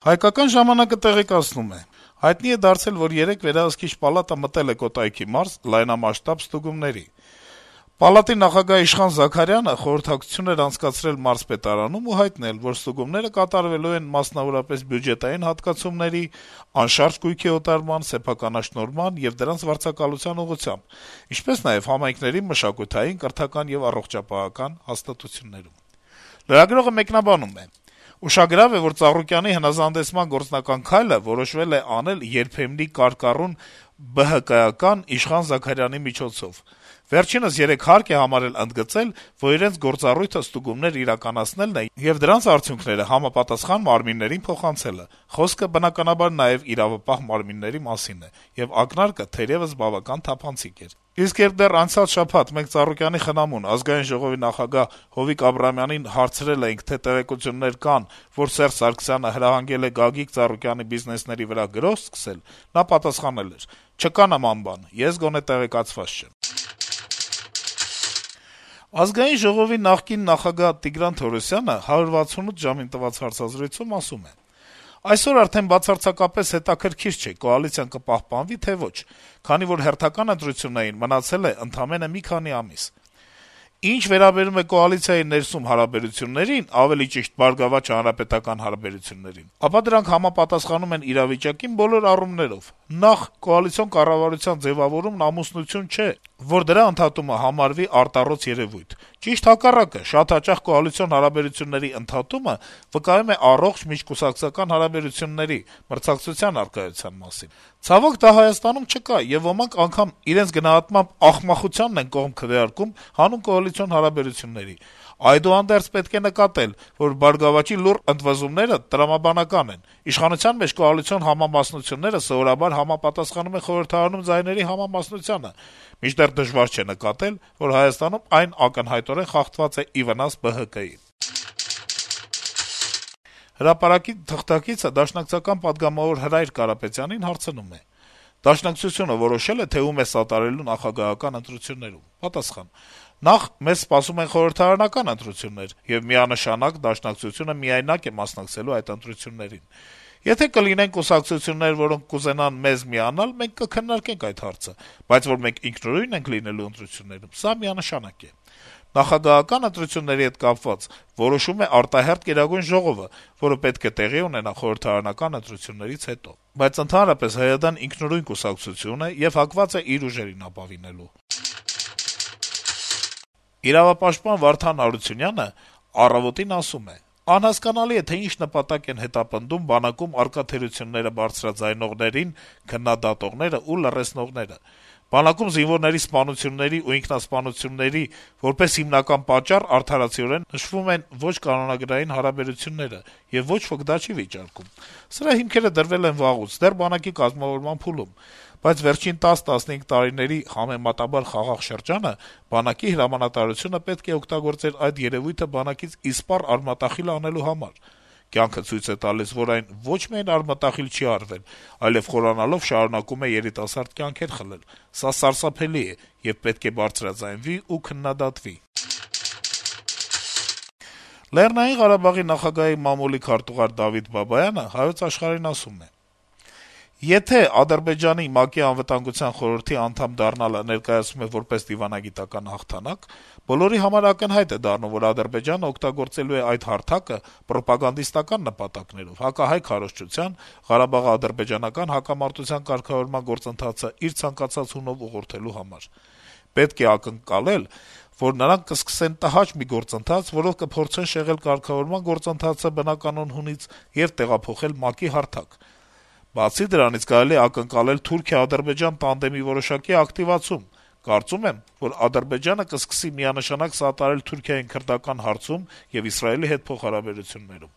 Հայկական ժամանակը տեղեկացնում է. հայտնի է դարձել, որ երեկ վերահսկիչ պալատը մտել է Կոտայքի մարզ լայնամասշտաբ ստուգումների: Պալատի նախագահ Իշխան Զաքարյանը խորհրդակցություն էր անցկացրել մարզպետարանում ու հայտնել, որ ստուգումները կատարվելու են մասնավորապես բյուջետային հատկացումների, անշարժ գույքի օտարման, սեփականաշնորհման եւ դրանց վարձակալության ուղղությամբ, ինչպես նաեւ համայնքների մշակութային, կրթական եւ առողջապահական հաստատություններում: Լրագրողը մեկնաբանում է. - «Ուշագրավ է, որ Ծառուկյանի հնազանդեցման գործնական քայլը որոշվել է անել երբեմնի կարկառուն ԲՀԿ-ական Իշխան Զաքարյանի միջոցով: Վերջինս երեկ հարկ է համարել ընդգծել, որ իրենց գործառույթը ստուգումներ իրականացնելն է եւ դրանց արդյունքները համապատասխան մարմիններին փոխանցելը: Խոսքը, բնականաբար, նաեւ իրավապահ մարմինների մասին է, եւ ակնարկը թերեւս բավական թափանցիկ էր: Իսկ երբ դեռ անցյալ շաբաթ մենք Ծառուկյանի խնամուն, Ազգային ժողովի նախագահ Հովիկ Աբրահամյանին հարցրել էինք, թե տեղեկություններ կան, որ Սերժ Սարգսյանը հրահանգել է Գագիկ Ծառուկյանի բիզնեսների վրա գրոհ սկսել, նա պատասխանել էր. «Չկա նման բան, ես գոնե տեղեկացված չեմ»: Ազգային ժողովի նախկին նախագահ Տիգրան Թորոսյանը 168 ժամին տված հարցազրույցում ասում է. - «Այսօր արդեն բացարձակապես հետաքրքիր չէ` կոալիցիան կպահպանվի, թե ոչ, քանի որ հերթական ընտրություններին մնացել է ընդամենը մի քանի ամիս: Ինչ վերաբերում է կոալիցիայի ներսում հարաբերություններին, ավելի ճիշտ` ԲՀԿ-հանրապետական հարաբերություններին, ապա դրանք համապատասխանում են իրավիճակին բոլոր առումներով: Նախ` կոալիցիոն կառավարության ձեւավորումն ամուսնություն չէ, որ դրա ընդհատումը համարվի արտառոց երեւույթ: Ճիշտ հակառակը, շատ հաճախ կոալիցիոն հարաբերությունների ընդհատումը վկայում է առողջ միջկուսակցական հարաբերությունների, մրցակցության առկայության մասին: Ցավոք, դա Հայաստանում չկա, եւ ոմանք անգամ իրենց գնահատմամբ ախմախությանն են կողմ քվեարկում հանուն կոալիցիոն հարաբերությունների: Այդուհանդերձ պետք է նկատել, որ «Բարգավաճի» լուռ ընդվզումները տրամաբանական են: Իշխանության մեջ կոալիցիոն համամասնությունները սովորաբար համապատասխանում են խորհրդարանում ձայների համամասնությանը, մինչդեռ դժվար չէ նկատել, որ Հայաստանում այն ակնհայտորեն խախտված է ի վնաս ԲՀԿ-ի»: «Հրապարակ»-ի թղթակիցը դաշնակցական պատգամավոր Հրայր Կարապետյանին հարցնում է. - «Դաշնակցությունը որոշե՞լ է, թե ում է սատարելու նախագահական ընտրություններում»: Պատասխան. - «Նախ, մեզ սպասում են խորհրդարանական ընտրություններ, եւ միանշանակ Դաշնակցությունը միայնակ է մասնակցելու այդ ընտրություններին: Եթե կլինեն կուսակցություններ, որոնք կուզենան մեզ միանալ, մենք կքննարկենք այդ հարցը, բայց որ մենք ինքնուրույն ենք լինելու ընտրություններում, սա միանշանակ է: Նախագահական ընտրությունների հետ կապված որոշում է արտահերթ Գերագույն ժողովը, որը պետք է տեղի ունենա խորհրդարանական ընտրություններից հետո: Բայց ընդհանրապես ՀՅԴ-ն ինքնուրույն կուսակցություն է եւ հակված է իր ուժերին ապավինելու»: Իրավապաշտպան Վարդան Հարությունյանը «Առավոտ»-ին ասում է. - «Անհասկանալի է, թե ինչ նպատակ են հետապնդում բանակում առկա թերությունները բարձրաձայնողներին, քննադատողները ու լռեցնողները: Բանակում զինվորների սպանությունների ու ինքնասպանությունների որպես հիմնական պատճառ արդարացիորեն նշվում են ոչ կանոնագրային հարաբերությունները, եւ ոչ ոք դա չի վիճարկում: Սրա հիմքերը դրվել են վաղուց, դեռ բանակի կազմավորման փուլում: Բայց վերջին 10-15 տարիների համեմատաբար խաղաղ շրջանը բանակի հրամանատարությունը պետք է օգտագործեր այդ երեւույթը բանակից իսպառ արմատախիլ անելու համար: Կյանքը ցույց է տալիս, որ այն ոչ միայն արմատախիլ չի արվել, այլեւ խորանալով շարունակում է երիտասարդ կյանքեր խլել: Սա սարսափելի է եւ պետք է բարձրաձայնվի ու քննադատվի»: Լեռնային Ղարաբաղի նախագահի մամուլի քարտուղար Դավիթ Բաբայանը «Հայոց Աշխարհ»-ին ասում է. - «Եթե Ադրբեջանի ՄԱԿ-ի Անվտանգության խորհրդի անդամ դառնալը ներկայացվում է որպես դիվանագիտական հաղթանակ, բոլորի համար ակնհայտ է դառնում, որ Ադրբեջանն օգտագործելու է այդ հարթակը պրոպագանդիստական նպատակներով, հակահայ քարոզչության, Ղարաբաղը ադրբեջանական հակամարտության կարգավորման գործընթացը իր ցանկացած հունով ուղղորդելու համար: Պետք է ակնկալել, որ նրանք կսկսեն տհաճ մի գործընթաց, որով կփորձեն շեղել կարգավորման գործընթացը բնականոն հունից եւ տեղափոխել ՄԱԿ-ի հարթակ: Բացի դրանից, կարելի է ակնկալել Թուրքիա-Ադրբեջան տանդեմի որոշակի ակտիվացում: Կարծում եմ, որ Ադրբեջանը կսկսի միանշանակ սատարել Թուրքիային քրդական հարցում եւ Իսրայելի հետ փոխհարաբերություններում»: